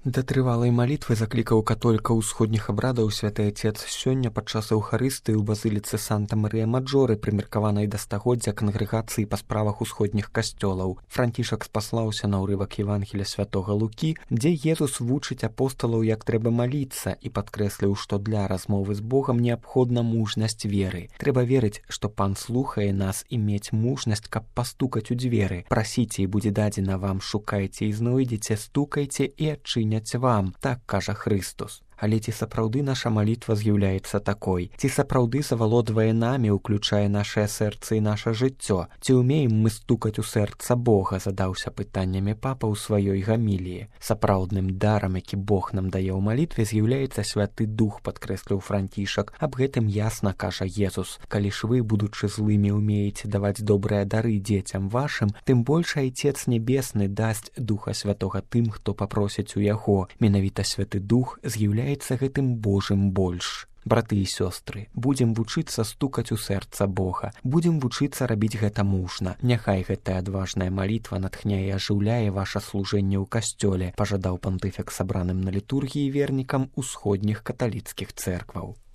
Да трывалай малітвы заклікаў католікаў усходніх абрадаў святы Отец сёння падчас Эўхарыстыі ў базыліцы Санта-Марыя-Маджоры, прымеркаванай да стагоддзя кангрэгацыі па справах усходніх касцёлаў. Францішак спаслаўся на ўрывак Евангелія святога Лукі, дзе Езус вучыць апосталаў, як трэба маліцца, і падкрэсліў, што для размовы з Богам неабходна мужнасць веры. Трэба верыць, што Пан слухае нас, і мець мужнасць, каб пастукаць у дзверы. Прасіце, і будзе дадзена вам, шукайце і знойдзеце, стукайце і адчыняць вам, так кажа Хрыстус. Але ці сапраўды наша малітва з'яўляецца такой? Ці сапраўды завалодвае намі, уключае нашае сэрца і наша жыццё? Ці ўмеем мы стукаць у сэрца Бога, задаўся пытаннямі папа ў сваёй гаміліі. Сапраўдным дарам, які Бог нам дае ў малітве, з'яўляецца Святы Дух, падкрэсліў Францішак. Аб гэтым ясна кажа Езус. Калі ж вы, будучы злымі, умееце даваць добрыя дары дзецям вашым, тым больш Айцец Небесны дасць Духа Святога тым, хто папросіць у яго. Менавіта Святы Дух з'яўляецца гэтым Божым больш. Браты і сёстры, будзем вучыцца стукаць у сэрца Бога, будзем вучыцца рабіць гэта мужна. Няхай гэтая адважная малітва натхняе і ажыўляе ваша служэнне ў касцёле, пажадаў пантыфік сабраным на літургіі вернікам усходніх каталіцкіх цэркваў.